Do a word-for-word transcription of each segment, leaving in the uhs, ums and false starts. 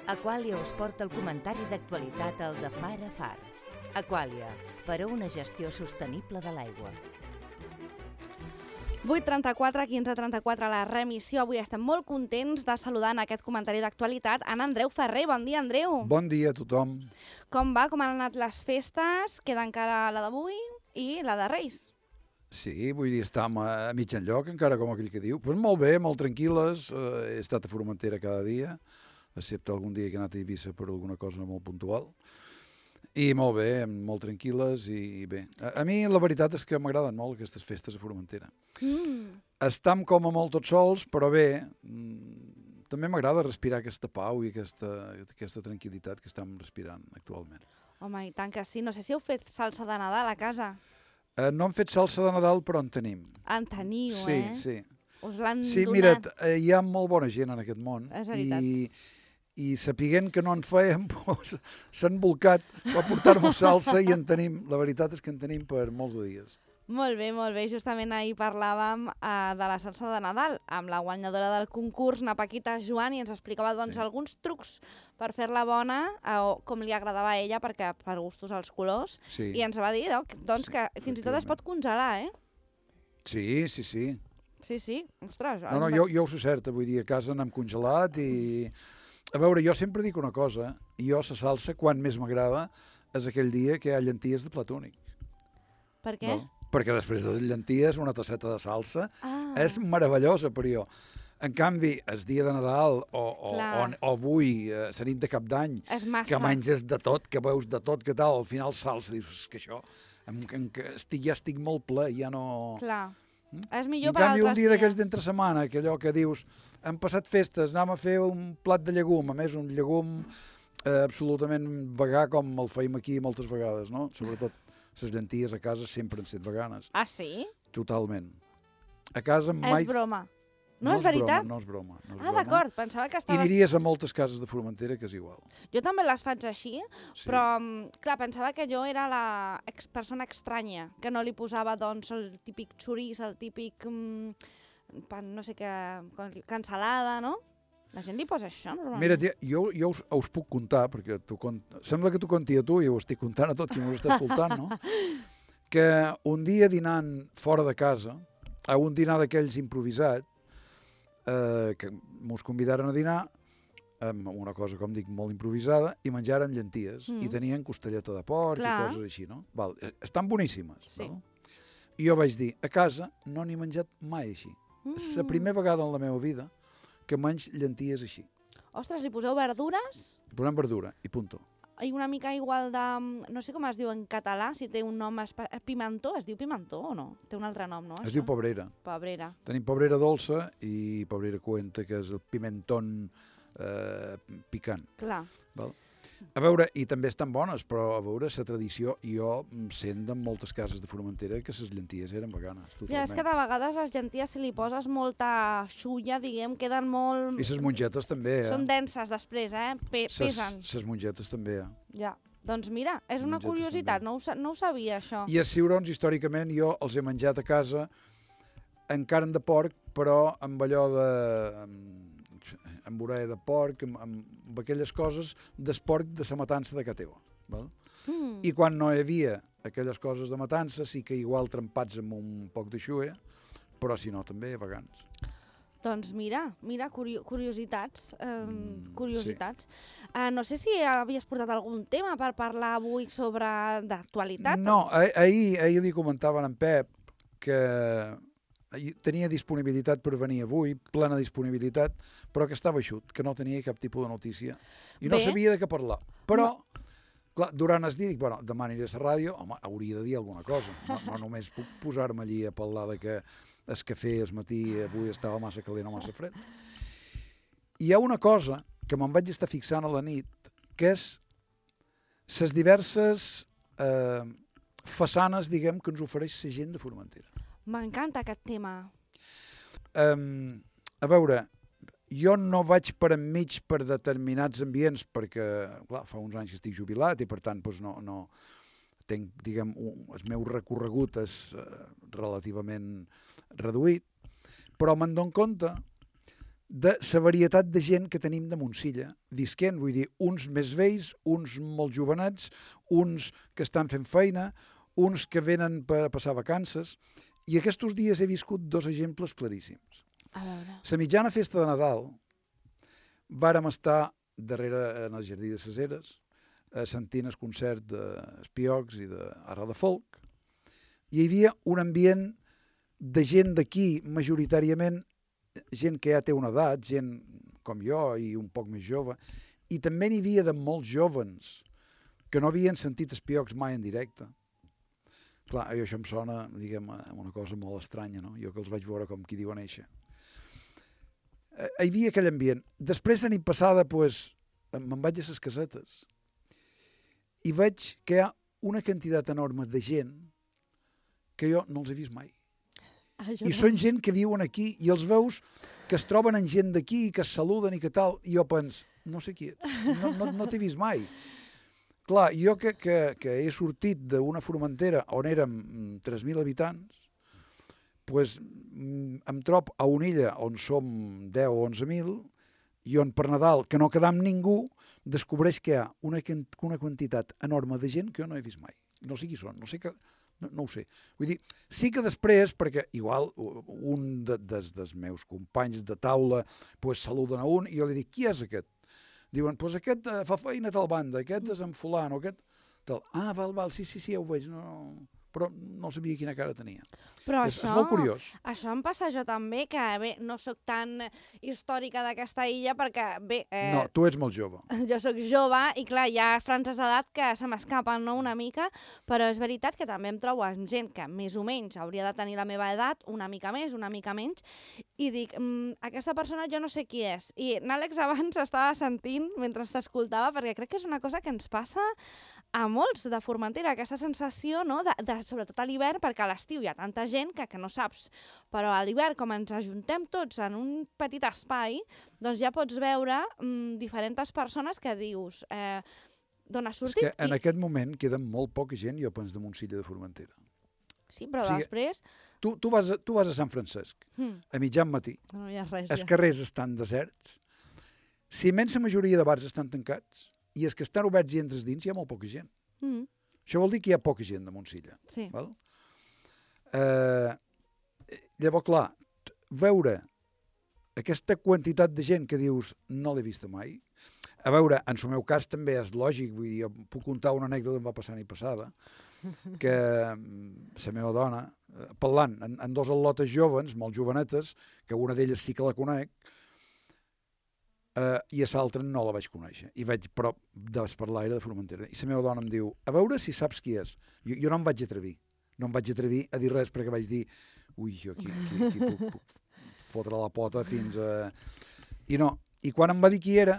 Aquàlia us porta el comentari d'actualitat al de Far a Far. Aquàlia, per a una gestió sostenible de l'aigua. vuit trenta-quatre, quinze trenta-quatre, la remissió. Avui estem molt contents de saludar en aquest comentari d'actualitat en Andreu Ferrer. Bon dia, Andreu. Bon dia a tothom. Com va? Com han anat les festes? Queda encara la d'avui i la de Reis. Sí, vull dir, estem a mig enlloc, encara com aquell que diu. Pues molt bé, molt tranquil·les. Uh, he estat a Formentera cada dia, excepte algun dia que he anat a Eivissa per alguna cosa molt puntual. I molt bé, molt tranquil·les i bé. A, a mi la veritat és que m'agraden molt aquestes festes a Formentera. Mm. Estam com a molt tots sols, però bé, mm, també m'agrada respirar aquesta pau i aquesta, aquesta tranquil·litat que estem respirant actualment. Home, i tant que sí. No sé si heu fet salsa de Nadal a casa. Uh, no hem fet salsa de Nadal, però en tenim. En teniu, sí, eh? Sí, sí. Us l'han Sí, donat. mira't, eh, hi ha molt bona gent en aquest món. És veritat. I, i sapiguent que no en fèiem, doncs, s'han volcat a portar-nos salsa i en tenim, la veritat és que en tenim per molts de dies. Molt bé, molt bé. Justament ahir parlàvem uh, de la salsa de Nadal amb la guanyadora del concurs, na Paquita Joan, i ens explicava doncs, Sí. alguns trucs per fer-la bona, uh, o com li agradava a ella, perquè per gustos els colors, Sí, i ens va dir no, que, doncs, Sí, que fins i tot es pot congelar, eh? sí, sí. sí. Sí, sí. Ostres. No, no, jo, jo ho sé certa, vull dir, a casa n'hem congelat i... A veure, jo sempre dic una cosa, jo la salsa, quan més m'agrada, és aquell dia que hi ha llenties de plat únic. Per què? No? Perquè després de les llenties, una tasseta de salsa Ah. és meravellosa per jo. En canvi, el dia de Nadal o, o, o, o avui, eh, la nit de cap d'any, És massa. que menges de tot, que veus de tot, que tal, al final salsa, dius, és que això, em, em, que estic, ja estic molt ple, ja no... Clar. Mm? És I millor en per canvi, un altres dia d'aquests dies. d'entre setmana, que allò que dius, hem passat festes, anem a fer un plat de llegum, a més, un llegum eh, absolutament vegà, com el feim aquí moltes vegades, no? Sobretot les llenties a casa sempre han estat veganes. Ah, sí? Totalment. A casa mai... És broma. No, és veritat? Broma, no és broma. No és Ah, broma. d'acord. Pensava que I estaves... aniries a moltes cases de Formentera que és igual. Jo també les faig així, Sí. però, mm, clar, pensava que jo era la ex persona estranya, que no li posava, doncs, el típic xoriç, el típic, mm, pan, no sé què, cansalada, no? La gent li posa això, normalment. Mira, tia, jo, jo us, us puc contar, perquè tu cont... sembla que t'ho conti a tu i ho estic contant a tot qui m'ho està escoltant, no? Que un dia dinant fora de casa, a un dinar d'aquells improvisat, eh, que mos convidaren a dinar amb una cosa, com dic, molt improvisada, i menjaren llenties, Mm. i tenien costelleta de porc Clar. i coses així, no? Val, eh, estan boníssimes, Sí. no? I jo vaig dir, a casa no n'he menjat mai així. Mm. És la primera vegada en la meva vida que menys llenties així. Ostres, li poseu verdures Posem verdura i punto. i una mica igual de... No sé com es diu en català, si té un nom... Espe... Pimentó? Es diu pimentó o no? Té un altre nom, no? Es això? diu pobrera. Pebrera. Tenim pobrera dolça i pobrera coenta, que és el pimentón eh, picant. Clar. Val? A veure, i també estan bones, però a veure, la tradició, jo em sent en moltes cases de Formentera que les llenties eren veganes, Ja, és que totalment. de vegades les llenties, si li poses molta xulla, diguem, queden molt... I les mongetes també, eh? Són denses després, eh? Pe pesen. Les mongetes també, eh? Ja. Doncs mira, és una Mongetes curiositat, també. no ho, sa- no ho sabia, això. I els ciurons, històricament, jo els he menjat a casa en carn de porc, però amb allò de... amb, amb orella de porc, amb, amb aquelles coses d'esporc de la matança de ca teva. Val? Mm. I quan no hi havia aquelles coses de matança, sí que igual trempats amb un poc de xuea, però si no, també vegans. Doncs mira, mira, curio curiositats, eh, Mm, curiositats. Eh, no sé si havies portat algun tema per parlar avui sobre d'actualitat. No, ah- ahir, ahir li comentaven a en Pep que ahir tenia disponibilitat per venir avui, plena disponibilitat, però que estava eixut, que no tenia cap tipus de notícia i no Bé. sabia de què parlar. Però, clar, durant el dia dic, bueno, demà aniré a la ràdio, home, hauria de dir alguna cosa. No, no només puc posar-me allí a parlar de que el cafè el matí avui estava massa calent o massa fred. Hi ha una cosa que me'n vaig estar fixant a la nit, que és les diverses eh, façanes, diguem, que ens ofereix la gent de Formentera. M'encanta aquest tema. Um, a veure, jo no vaig per enmig per determinats ambients perquè, clar, fa uns anys que estic jubilat i per tant doncs no, no tinc, diguem, un, el meu recorregut és uh, relativament reduït, però me'n dono compte de la varietat de gent que tenim de Montsilla, visquent, vull dir, uns més vells, uns molt jovenets, uns que estan fent feina, uns que venen per passar vacances, i aquests dies he viscut dos exemples claríssims. A veure. La mitjana festa de Nadal vàrem estar darrere en el Jardí de ses Eres, sentint el concert d'Espiocs i d'Arra de Folk, i hi havia un ambient de gent d'aquí, majoritàriament gent que ja té una edat, gent com jo i un poc més jove, i també n'hi havia de molts jovens que no havien sentit Espiocs mai en directe. Clar, això em sona, diguem, una cosa molt estranya, no? Jo que els vaig veure com qui diu a néixer. Eh, hi havia aquell ambient. Després, la nit passada, pues, me'n vaig a les casetes i veig que hi ha una quantitat enorme de gent que jo no els he vist mai. Ah, I són gent que viuen aquí i els veus que es troben amb gent d'aquí, que es saluden i que tal, i jo penso, no sé qui ets, no, no, no t'he vist mai. Clar, jo que, que, que he sortit d'una Formentera on érem tres mil habitants, pues, em trob a una illa on som deu o onze mil i on per Nadal, que no quedam ningú, descobreix que hi ha una, una quantitat enorme de gent que jo no he vist mai. No sé qui són, no sé que... No, no ho sé. Vull dir, sí que després, perquè igual un de, des dels meus companys de taula pues, saluden a un i jo li dic, qui és aquest? Diuen, pues aquest uh, fa feina a tal banda, aquest és en fulano, aquest... Tal. Ah, val, val, sí, sí, sí, ja ho veig, no... però no sabia quina cara tenia. Però és, això, és molt curiós. Això em passa jo també, que bé, no sóc tan històrica d'aquesta illa perquè, bé... Eh, no, tu ets molt jove. Jo sóc jove i, clar, hi ha franges d'edat que se m'escapen, no?, una mica, però és veritat que també em trobo amb gent que més o menys hauria de tenir la meva edat, una mica més, una mica menys, i dic, mmm, aquesta persona jo no sé qui és. I n'Àlex abans estava sentint mentre t'escoltava, perquè crec que és una cosa que ens passa a molts de Formentera, aquesta sensació, no?, de, de, sobretot a l'hivern, perquè a l'estiu hi ha tanta gent que, que no saps, però a l'hivern, com ens ajuntem tots en un petit espai, doncs ja pots veure mm, diferents persones que dius eh, d'on has sortit. És que en i... aquest moment queda molt poca gent, jo penso, de Montsilla de Formentera. Sí, però o sigui, després... Tu, tu, vas a, tu vas a Sant Francesc, hmm. a mitjan matí, no hi ha res, els ja. carrers estan deserts, la immensa majoria de bars estan tancats, i els que estan oberts i entres dins hi ha molt poca gent. Mm. Això vol dir que hi ha poca gent de Montsilla. Sí. Val? Eh, llavors, clar, veure aquesta quantitat de gent que dius no l'he vista mai, a veure, en el meu cas també és lògic, vull dir, jo puc contar una anècdota que em va passar l'any passada, que la meva dona, parlant en, en dos al·lotes joves, molt jovenetes, que una d'elles sí que la conec, Uh, i a l'altra no la vaig conèixer. I vaig, però, desparlar era de Formentera. I la meva dona em diu, a veure si saps qui és. Jo, jo no em vaig atrevir. No em vaig atrevir a dir res perquè vaig dir, ui, jo aquí, aquí, aquí puc, puc fotre la pota fins a... I no. I quan em va dir qui era,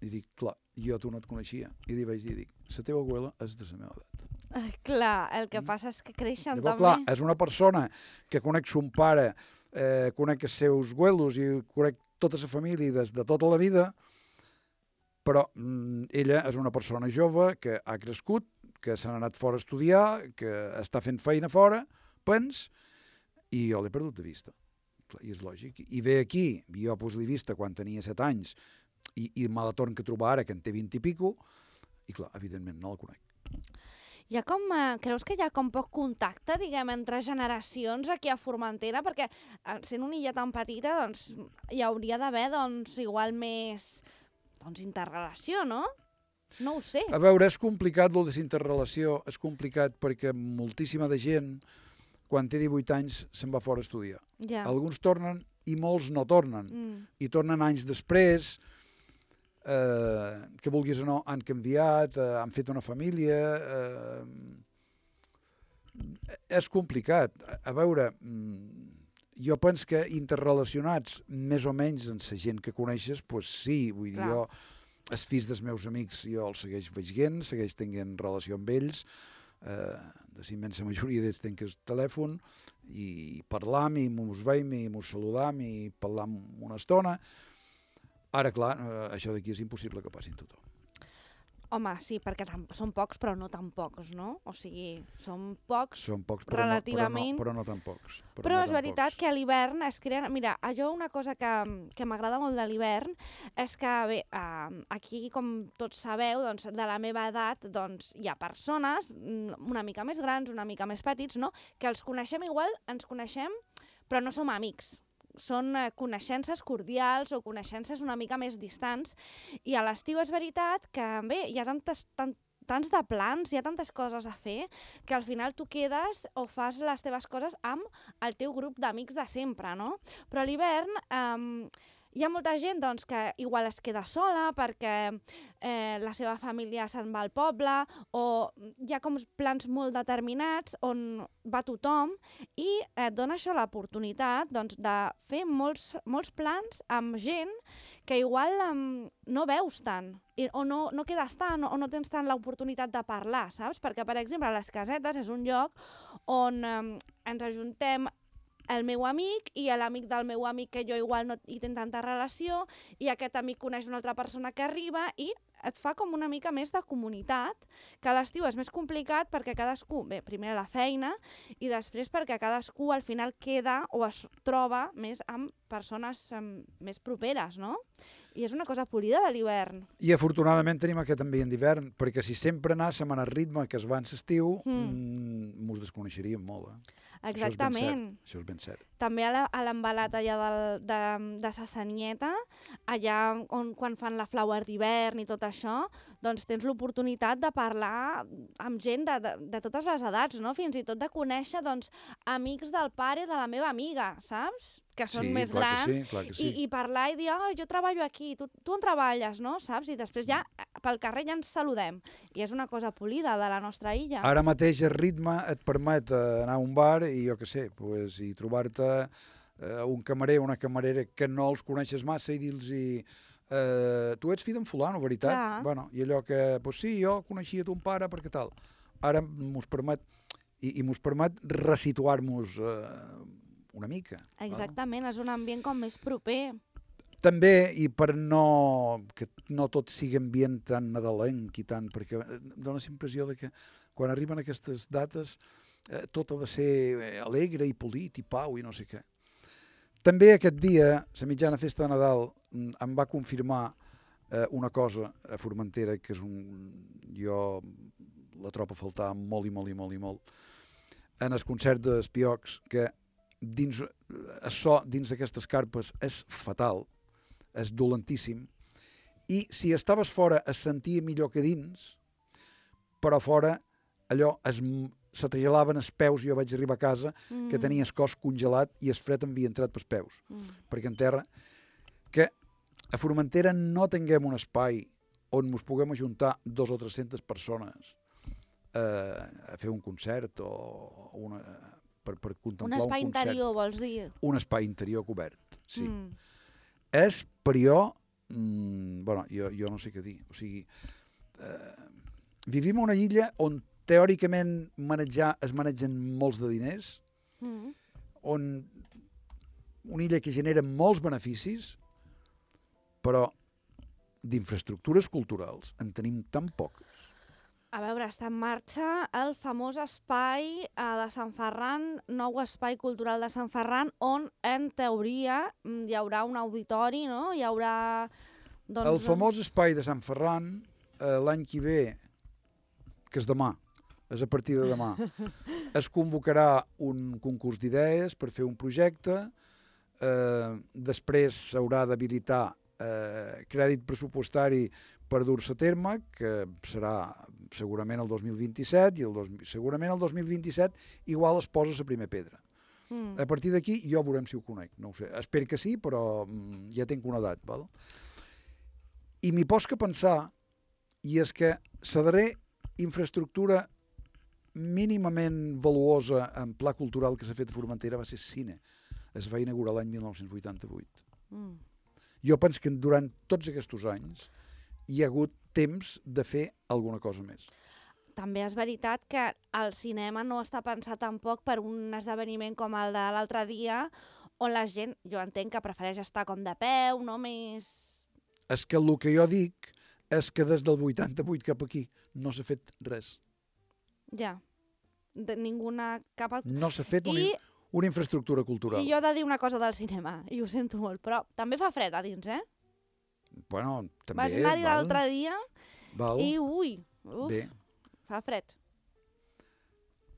i dic, clar, jo tu no et coneixia. I li vaig dir, dic, la teva abuela és de la meva edat. Ah, clar, el que passa és que creixen Llavors, també. Clar, és una persona que conec son pare, eh, conec els seus abuelos i conec tota la família des de tota la vida, però mm, ella és una persona jove que ha crescut, que s'ha anat fora a estudiar, que està fent feina fora, pens, i jo l'he perdut de vista. Clar, i és lògic. I ve aquí, jo pues, l'he vista quan tenia set anys, i, i me la torno a trobar ara, que en té vint i pico, i clar, evidentment no la conec. Hi ha com, eh, creus que hi ha com poc contacte, diguem, entre generacions aquí a Formentera? Perquè eh, sent una illa tan petita, doncs, hi hauria d'haver, doncs, igual més, doncs, interrelació, no? No ho sé. A veure, és complicat, lo de la interrelació, és complicat perquè moltíssima de gent, quan té divuit anys, se'n va fora a estudiar. Ja. Alguns tornen i molts no tornen. Mm. I tornen anys després, eh, que vulguis o no, han canviat, eh, han fet una família... Eh, és complicat. A veure, jo penso que interrelacionats més o menys amb la gent que coneixes, doncs sí, vull dir, jo, els fills dels meus amics, jo els segueix veient, segueix tenint relació amb ells, eh, de la immensa majoria d'ells tenc el telèfon, i parlam, i mos veiem, i mos saludam, i parlam una estona. Ara, clar, eh, això d'aquí és impossible que passi tothom. Home, sí, perquè tam- són pocs, però no tan pocs, no? O sigui, són pocs, Són pocs, però, relativament. no, però, no, però no tan pocs. Però, però no és tan veritat pocs. que a l'hivern es creen... Mira, a jo una cosa que, que m'agrada molt de l'hivern és que, bé, eh, aquí, com tots sabeu, doncs, de la meva edat, doncs, hi ha persones mm, una mica més grans, una mica més petits, no?, que els coneixem igual, ens coneixem, però no som amics. Són eh, coneixences cordials o coneixences una mica més distants. I a l'estiu és veritat que, bé, hi ha tantes, tant, tants de plans, hi ha tantes coses a fer, que al final tu quedes o fas les teves coses amb el teu grup d'amics de sempre, no? Però a l'hivern eh, hi ha molta gent doncs, que igual es queda sola perquè eh, la seva família se'n va al poble, o hi ha com plans molt determinats on va tothom, i et dona això l'oportunitat doncs, de fer molts, molts plans amb gent que igual um, no veus tant, i, o no, no quedes tant, o no tens tant l'oportunitat de parlar, saps? Perquè, per exemple, les casetes és un lloc on um, ens ajuntem el meu amic i l'amic del meu amic que jo igual no hi tinc tanta relació, i aquest amic coneix una altra persona que arriba i et fa com una mica més de comunitat, que a l'estiu és més complicat perquè cadascú, bé, primer la feina i després perquè cadascú al final queda o es troba més amb persones um, més properes, no? I és una cosa polida de l'hivern. I afortunadament tenim aquest ambient d'hivern, perquè si sempre anàssim en el ritme que es va en l'estiu, Mm. mm, mos desconeixeríem molt. Eh? Exactament. Això és ben cert. També a la- a l'embalat allà del, de, de Sassanieta, allà on, quan fan la flower d'hivern i tot això, doncs tens l'oportunitat de parlar amb gent de, de, de totes les edats, no? Fins i tot de conèixer doncs, amics del pare de la meva amiga, saps? Que són Sí, més clar que grans, sí, clar que sí. i, i parlar i dir, oh, jo treballo aquí, tu, tu on treballes, no? Saps? I després ja pel carrer ja ens saludem. I és una cosa polida de la nostra illa. Ara mateix el ritme et permet eh, anar a un bar i jo què sé, pues, i trobar-te eh, un camarer o una camarera que no els coneixes massa i dir-los eh, tu ets fill d'en fulano, veritat? Clar. Bueno, i allò que, pues sí, jo coneixia ton pare perquè tal. Ara mos permet, i, i mos permet resituar-nos eh, una mica. val? Exactament, és un ambient com més proper. També, i per no, que no tot sigui ambient tan nadalenc i tant, perquè dona la impressió de que quan arriben aquestes dates eh, tot ha de ser eh, alegre i polit i pau i no sé què. També aquest dia, la mitjana festa de Nadal, mm, em va confirmar eh, una cosa a Formentera, que és un... jo la trobo a faltar molt i molt i molt i molt, en el concert d'Espiocs, que dins, el so dins d'aquestes carpes és fatal, és dolentíssim, i si estaves fora es sentia millor que dins, però fora allò es, se te gelaven els peus. Jo vaig arribar a casa Mm. que tenia el cos congelat i el fred havia entrat pels peus, Mm. perquè en terra, que a Formentera no tinguem un espai on ens puguem ajuntar dos o tres-centes persones eh, a fer un concert o una, per, per Un contemplar espai un concert. interior, vols dir? Un espai interior cobert, sí. Mm. És per jo, mm, bueno, jo, jo no sé què dir, o sigui, eh, vivim a una illa on teòricament manejar, es manegen molts de diners, Mm. on una illa que genera molts beneficis, però d'infraestructures culturals en tenim tan poques. A veure, està en marxa el famós espai eh, de Sant Ferran, nou espai cultural de Sant Ferran, on en teoria mm, hi haurà un auditori, no? Hi haurà... Doncs, El famós espai de Sant Ferran, eh, l'any que ve, que és demà, és a partir de demà, es convocarà un concurs d'idees per fer un projecte, eh, després s'haurà d'habilitar eh, crèdit pressupostari per dur-se a terme, que serà segurament el dos mil vint-i-set, i el dos, segurament el dos mil vint-i-set igual es posa la primera pedra. Mm. A partir d'aquí jo veurem si ho conec, no ho sé. Espero que sí, però mm, ja tinc una edat, val? I m'hi pots que pensar, i és que la darrera infraestructura mínimament valuosa en pla cultural que s'ha fet a Formentera va ser cine. Es va inaugurar l'any mil nou-cents vuitanta-vuit. Mm. Jo penso que durant tots aquests anys hi ha hagut temps de fer alguna cosa més. També és veritat que el cinema no està pensat tampoc per un esdeveniment com el de l'altre dia, on la gent, jo entenc que prefereix estar com de peu, no més... És que el que jo dic és que des del vuitanta-vuit cap aquí no s'ha fet res. Ja. De ninguna cap... Al... No s'ha fet una, I, una infraestructura cultural. I jo he de dir una cosa del cinema, i ho sento molt, però també fa fred a dins, eh? Bueno, també, Vaig anar-hi val, l'altre dia val, i ui, uf, bé. fa fred.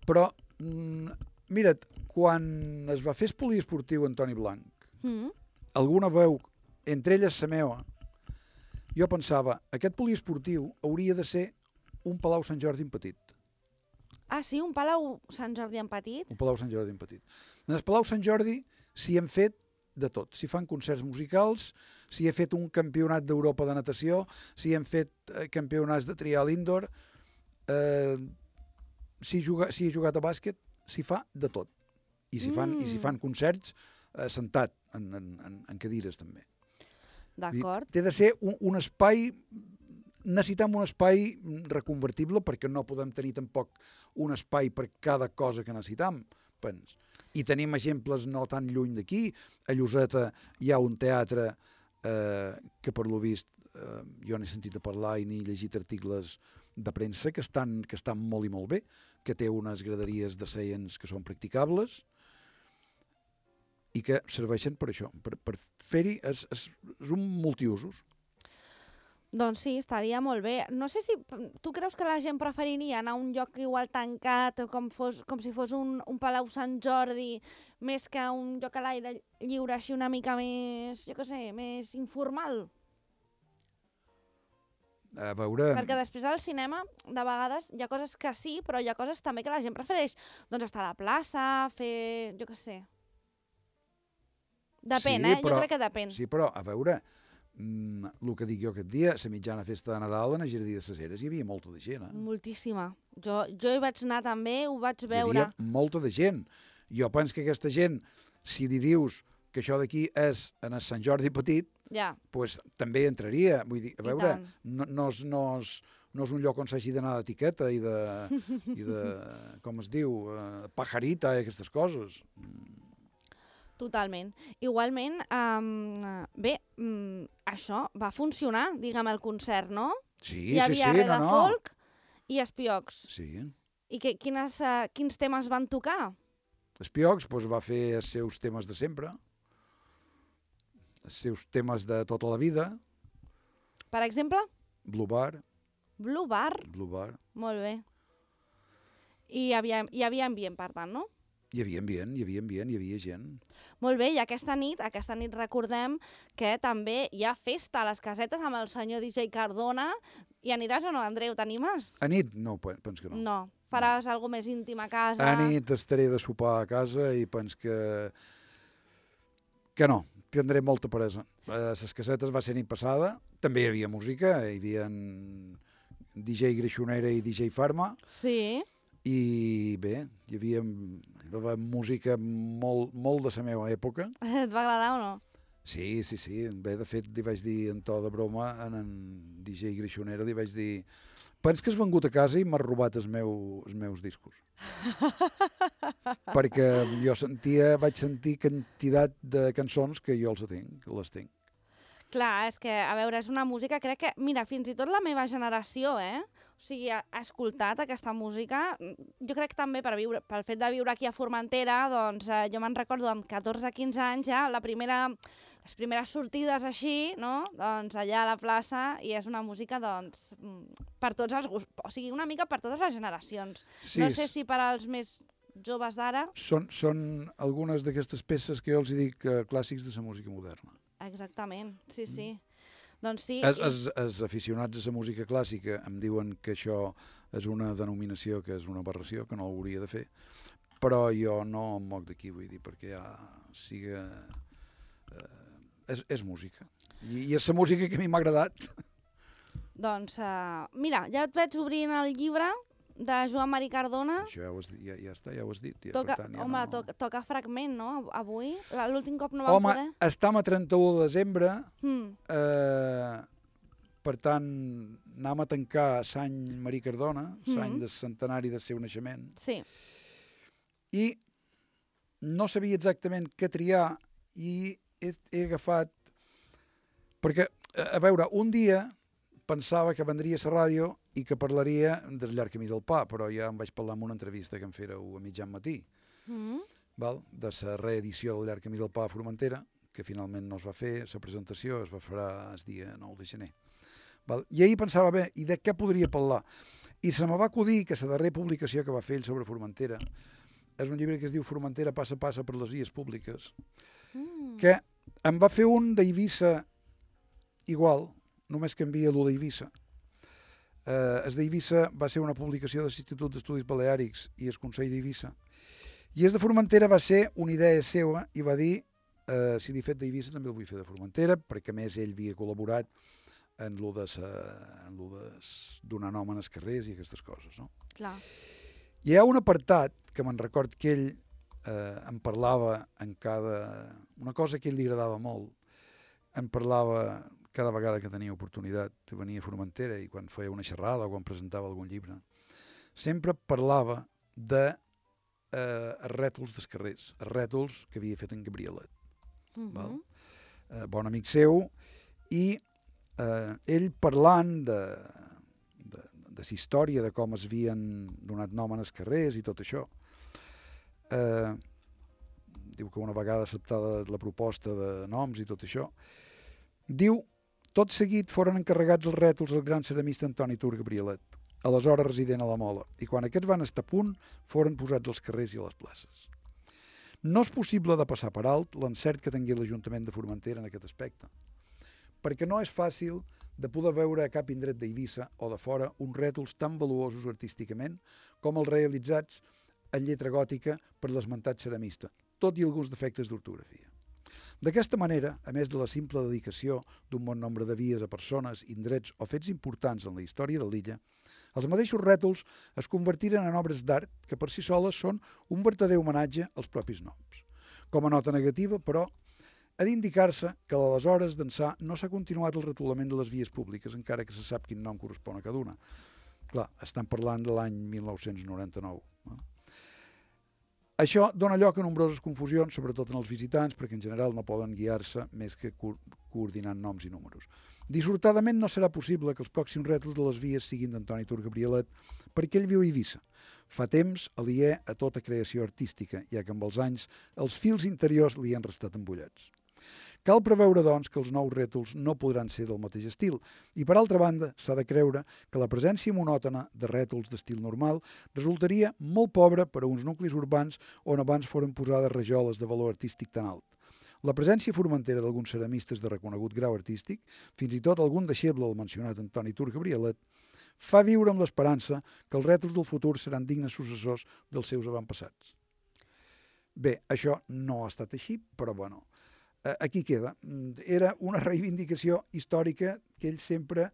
Però, mm, mira't, quan es va fer el poliesportiu Antoni Blanc, Mm. alguna veu, entre elles la meva, jo pensava, aquest poliesportiu hauria de ser un Palau Sant Jordi en petit. Ah, sí? Un Palau Sant Jordi en petit? Un Palau Sant Jordi en petit. En el Palau Sant Jordi s'hi han fet de tot. S'hi fan concerts musicals, s'hi ha fet un campionat d'Europa de natació, s'hi han fet eh, campionats de trial indoor, eh, s'hi juga, s'hi ha jugat a bàsquet, s'hi fa de tot. I s'hi fan, Mm. i s'hi fan concerts eh, sentat en, en, en, en cadires també. D'acord. Té de ser un, un espai, necessitem un espai reconvertible perquè no podem tenir tampoc un espai per cada cosa que necessitem. Pens. I tenim exemples no tan lluny d'aquí. A Lloseta hi ha un teatre eh, que per lo vist eh, jo n'he sentit a parlar i n'he llegit articles de premsa que estan, que estan molt i molt bé, que té unes graderies de seients que són practicables i que serveixen per això, per, per fer-hi, és, és, és un multiusos. Doncs sí, estaria molt bé. No sé si tu creus que la gent preferiria anar a un lloc igual tancat, com, fos, com si fos un, un Palau Sant Jordi, més que un lloc a l'aire lliure així una mica més, jo què sé, més informal? A veure... Perquè després al cinema, de vegades, hi ha coses que sí, però hi ha coses també que la gent prefereix. Doncs estar a la plaça, fer... jo què sé. Depèn, sí, eh? però, Jo crec que depèn. Sí, però, a veure, mm, el que dic jo aquest dia, la mitjana festa de Nadal en el Jardí de les Heres hi havia molta de gent, eh? Moltíssima. Jo, jo hi vaig anar també, ho vaig veure. Hi havia molta de gent. Jo penso que aquesta gent, si li dius que això d'aquí és en el Sant Jordi petit, Ja. pues, també entraria. Vull dir, a I veure, tant. no, no, és, no, és, no és un lloc on s'hagi d'anar d'etiqueta i de, i de, com es diu, eh, pajarita i aquestes coses. Totalment. Igualment, um, bé, um, això va funcionar, diguem, el concert, no? Sí, Hi havia sí, sí, re no, de no. folk i espiocs. Sí. I que, quines, uh, quins temes van tocar? Espiocs pues, va fer els seus temes de sempre, els seus temes de tota la vida, Per exemple, Blue Bar, Blue Bar. Blue Bar. Molt bé. I hi havia, hi havia ambient, per tant, no? Hi havia ambient, hi havia ambient, hi havia gent. Molt bé, i aquesta nit, aquesta nit recordem que també hi ha festa a les casetes amb el senyor D J Cardona. I aniràs o no, Andreu? T'animes? A nit, no, pe- penso que no. No. Faràs no. alguna més íntim a casa? A nit estaré de sopar a casa i penso que... que no, tindré molta peresa. A les casetes va ser nit passada, també hi havia música, hi havia D J Greixonera i D J Farma, Sí. i bé, hi havia, hi havia música molt, molt de la meva època. Et va agradar o no? Sí, sí, sí. Bé, de fet, li vaig dir en to de broma, en en D J Greixonera, li vaig dir pens que has vengut a casa i m'has robat els, meu, els meus discos. Perquè jo sentia, vaig sentir quantitat de cançons que jo els tinc, les tinc. Clar, és que, a veure, és una música, crec que, mira, fins i tot la meva generació, eh? O sigui, ha, ha escoltat aquesta música. Jo crec que també per viure, pel fet de viure aquí a Formentera, doncs eh, jo me'n recordo amb catorze quinze anys ja, la primera, les primeres sortides així, no? Doncs allà a la plaça, i és una música, doncs, mm, per tots els gustos, o sigui, una mica per totes les generacions. Sí, No sé si per als més joves d'ara... Són, són algunes d'aquestes peces que jo els dic eh, clàssics de la música moderna. Exactament, sí, sí. Mm. Doncs sí. Els, els, els aficionats a la música clàssica em diuen que això és una denominació, que és una aberració, que no ho hauria de fer, però jo no em moc d'aquí, vull dir, perquè ja siga... Eh, és, és música. I, I és la música que a mi m'ha agradat. Doncs, uh, mira, ja et veig obrint el llibre de Joan Marí Cardona. Això ja, ho has, dit, ja, ja està, ja ho has dit. Ja, Toca, per tant, ja home, no... toca, toca fragment, no? Avui. La- L'últim cop no vam Home, poder. estem a trenta-u de desembre, Hmm. eh, per tant, anem a tancar Sant Marí Cardona, Mhm. l'any del centenari del seu naixement, Sí. i no sabia exactament què triar i he, he agafat... Perquè, a veure, un dia pensava que vendria a la ràdio i que parlaria del llarg camí del pa, però ja em vaig parlar en una entrevista que em fèreu a mitjan matí, Mm. val? De la reedició del llarg camí del pa a Formentera, que finalment no es va fer, la presentació es va fer el dia nou de gener. Val? I ahir pensava, bé, i de què podria parlar? I se me va acudir que la darrera publicació que va fer ell sobre Formentera és un llibre que es diu Formentera passa a passa per les vies públiques, Mm. que em va fer un d'Eivissa igual, només canvia l'u d'Eivissa. Eh, el d'Eivissa va ser una publicació de l'Institut d'Estudis Baleàrics i el Consell d'Eivissa. I el de Formentera va ser una idea seva i va dir, eh, si l'he fet d'Eivissa també el vull fer de Formentera, perquè a més ell havia col·laborat en lo de, sa, en lo de donar nom als carrers i aquestes coses, no? Clar. Hi ha un apartat que me'n record que ell eh, em parlava en cada... Una cosa que a ell li agradava molt, em parlava cada vegada que tenia oportunitat de venir a Formentera i quan feia una xerrada o quan presentava algun llibre, sempre parlava de eh, els rètols dels carrers, els rètols que havia fet en Gabrielet. Mm -hmm. Val? Eh, bon amic seu, i eh, ell parlant de, de, de la història, de com es havien donat nom als carrers i tot això, eh, diu que una vegada acceptada la proposta de noms i tot això, diu, tot seguit foren encarregats els rètols al gran ceramista Antoni Tur Gabrielet, aleshores resident a la Mola, i quan aquests van estar a punt, foren posats als carrers i a les places. No és possible de passar per alt l'encert que tingui l'Ajuntament de Formentera en aquest aspecte, perquè no és fàcil de poder veure a cap indret d'Eivissa o de fora uns rètols tan valuosos artísticament com els realitzats en lletra gòtica per l'esmentat ceramista, tot i alguns defectes d'ortografia. D'aquesta manera, a més de la simple dedicació d'un bon nombre de vies a persones, indrets o fets importants en la història de l'illa, els mateixos rètols es convertiren en obres d'art que per si soles són un vertader homenatge als propis noms. Com a nota negativa, però, ha d'indicar-se que a l'aleshores d'ençà no s'ha continuat el retolament de les vies públiques, encara que se sap quin nom correspon a cada una. Clar, estan parlant de l'any mil nou-cents noranta-nou. No? Això dona lloc a nombroses confusions, sobretot en els visitants, perquè en general no poden guiar-se més que co coordinant noms i números. Dissortadament no serà possible que els pròxims rètols de les vies siguin d'Antoni Tur Gabrielet, perquè ell viu a Eivissa. Fa temps aliè a tota creació artística, ja que amb els anys els fils interiors li han restat embullats. Cal preveure, doncs, que els nous rètols no podran ser del mateix estil i, per altra banda, s'ha de creure que la presència monòtona de rètols d'estil normal resultaria molt pobra per a uns nuclis urbans on abans foren posades rajoles de valor artístic tan alt. La presència formentera d'alguns ceramistes de reconegut grau artístic, fins i tot algun deixeble del mencionat Antoni Tur Gabrielet, fa viure amb l'esperança que els rètols del futur seran dignes successors dels seus avantpassats. Bé, això no ha estat així, però bueno, aquí queda. Era una reivindicació històrica que ell sempre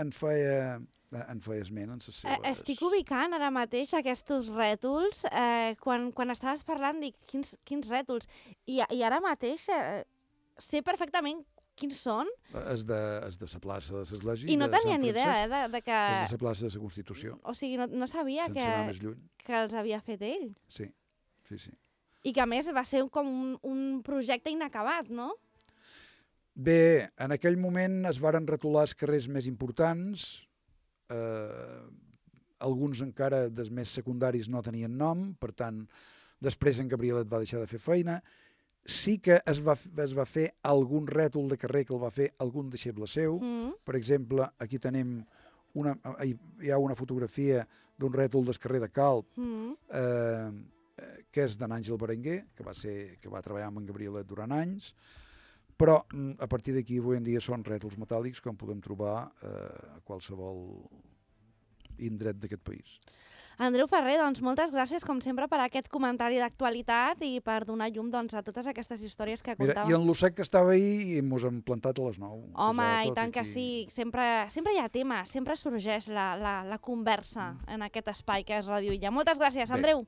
en feia, en feia esment en les seves... Estic ubicant ara mateix aquests rètols. Eh, quan, quan estaves parlant, dic, quins, quins rètols? I, i ara mateix eh, sé perfectament quins són. És de, és de la plaça de l'Església. I no tenia ni idea, eh, de, de que... És de la plaça de la Constitució. O sigui, no, no sabia sense que, anar més lluny. que els havia fet ell. Sí, sí, sí. I que, a més, va ser com un, un projecte inacabat, no? Bé, en aquell moment es varen retolar els carrers més importants, eh, alguns encara dels més secundaris no tenien nom, per tant, després en Gabrielet va deixar de fer feina. Sí que es va, es va fer algun rètol de carrer que el va fer algun deixeble seu. Mm. Per exemple, aquí tenim una, hi ha una fotografia d'un rètol del carrer de Calp, Mm. eh, que és d'en Àngel Berenguer, que va, ser, que va treballar amb en Gabrielet durant anys, però a partir d'aquí avui en dia són rètols metàl·lics com podem trobar eh, a qualsevol indret d'aquest país. Andreu Ferrer, doncs moltes gràcies, com sempre, per aquest comentari d'actualitat i per donar llum doncs, a totes aquestes històries que Mira, contàvem. i en l'Ossec que estava ahir ens hem plantat a les nou. Home, i tant que sí. Sempre, sempre hi ha tema, sempre sorgeix la, la, la conversa en aquest espai que és Ràdio Illa. Moltes gràcies, Andreu.